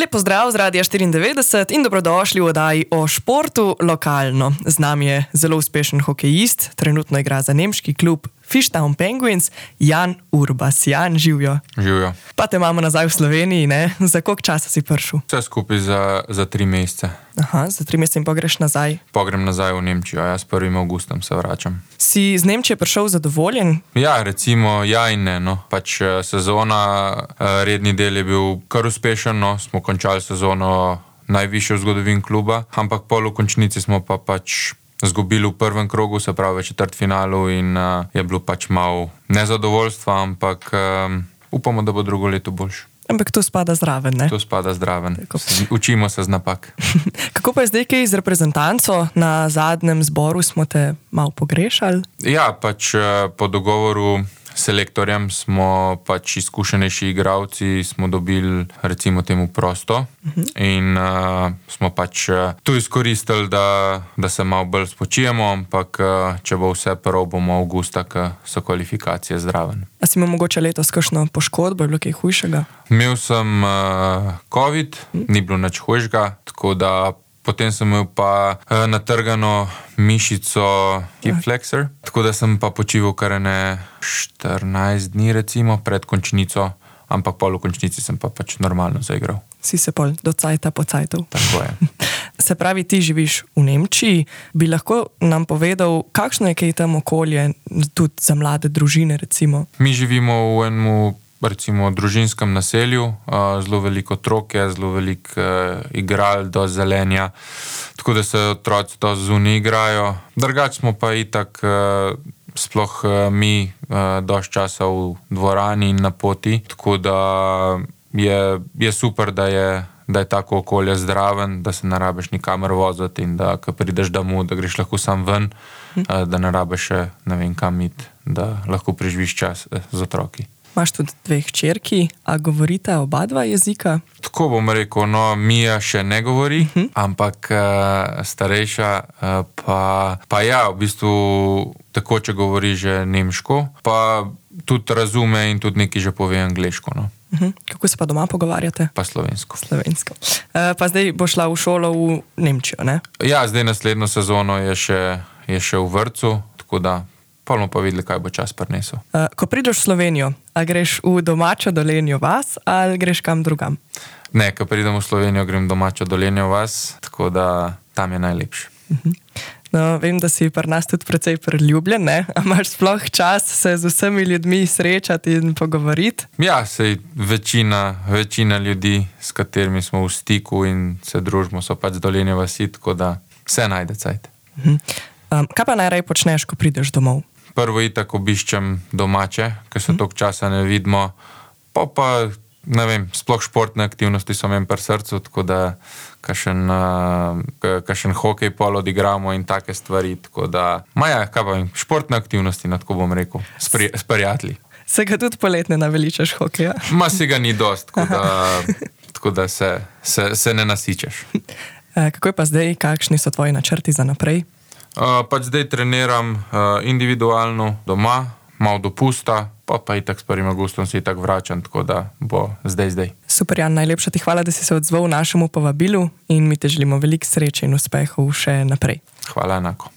Lep pozdrav z Radia 94 in dobrodošli v oddaji o športu lokalno. Z nami je zelo uspešen hokejist, trenutno igra za nemški klub Fishtown Penguins, Jan Urbas. Jan, živjo. Živjo. Pa te imamo nazaj v Sloveniji, ne? Za koliko časa si prišel? Vse skupaj za 3 mesece. Aha, za 3 mesece in pogreš nazaj. Pogrem nazaj v Nemčijo, jaz 1. avgustom se vračam. Si z Nemčije prišel zadovoljen? Ja, recimo ja in ne, no. Pač sezona, redni del je bil kar uspešen, no. Smo končali sezono najvišjo v zgodovini kluba, ampak pol v končnici smo pa pač zgubili v prvem krogu, se pravi v četrtfinalu in je bilo pač malo nezadovoljstva, ampak upamo, da bo drugo leto boljše. Ampak to spada zraven, ne? To spada zraven. Učimo se z napak. Kako pa je zdaj kaj z reprezentanco? Na zadnjem zboru smo te malo pogrešali? Ja, pač po dogovoru s selektorjem smo pač izkušenejši igralci, smo dobili recimo temu prosto in smo pač tu izkoristili, da se malo bolj spočijemo, ampak če bo vse prav, bomo avgusta, ko so kvalifikacije zraven. A si imel mogoče letos kakšno poškodbo, je bilo kaj hujšega? Imel sem COVID, ni bilo nič hujšega, tako da potem sem imel pa natrgano mišico hip flexor, tako da sem pa počival kar 14 dni recimo pred končnico, ampak pol v končnici sem pa pač normalno zaigral. Si se pol do cajta pocajtal. Tako je. Se pravi, ti živiš v Nemčiji, bi lahko nam povedal, kakšno je kaj tam okolje, tudi za mlade družine recimo? Mi živimo v enem recimo družinskem naselju, zelo veliko otrok je, zelo veliko igral do zelenja, tako da se otroci to zunaj igrajo. Drugače smo pa itak sploh mi dosti časa v dvorani in na poti, tako da je super, da je tako okolje zdraven, da se ne rabiš nikamor voziti in da ko prideš domov, da greš lahko sam ven, da ne rabiš še ne vem kam iti, da lahko preživiš čas z otroki. Imaš tudi 2 hčerki, a govorita oba dva jezika? Tako bom rekel, no, Mija še ne govori, ampak starejša pa ja, v bistvu takoče govori že nemško, pa tudi razume in tudi nekaj že pove angleško, no. Kako se pa doma pogovarjate? Pa slovensko. Slovensko. Pa zdaj bo šla v šolo v Nemčijo, ne? Ja, zdaj naslednjo sezono je še v vrtcu, tako da pa bomo pa videli, kaj bo čas prinesel. Ko prideš v Slovenijo, a greš v domačo Dolenjo vas ali greš kam drugam? Ne, ko pridem v Slovenijo, grem domačo Dolenjo vas, tako da tam je najlepše. No, vem, da si pri nas tudi precej priljubljen, ne? A imaš sploh čas se z vsemi ljudmi srečati in pogovoriti? Ja, sej večina ljudi, s katerimi smo v stiku in se družimo, so pač z Dolenje vasi, tako da vse najde cajt. Kaj pa najraje počneš, ko prideš domov? Prvo itak obiščem domače, ker se toliko časa ne vidimo, pa ne vem, sploh športne aktivnosti so meni pri srcu, tako da kakšen hokej pol odigramo in take stvari, tako da, kaj pa vem, športne aktivnosti, tako bom rekel, s prijatelji. Se ga tudi poletne naveličaš hokeja? Si ga ni dost, tako da se ne nasičeš. Kako je pa zdaj, kakšni so tvoji načrti za naprej? Pač zdaj treniram individualno doma, malo dopusta, pa itak s 1. avgustom se itak vračam, tako da bo zdaj. Super, Jan, najlepša ti hvala, da si se odzval našemu povabilu in mi te želimo veliko sreče in uspehov še naprej. Hvala enako.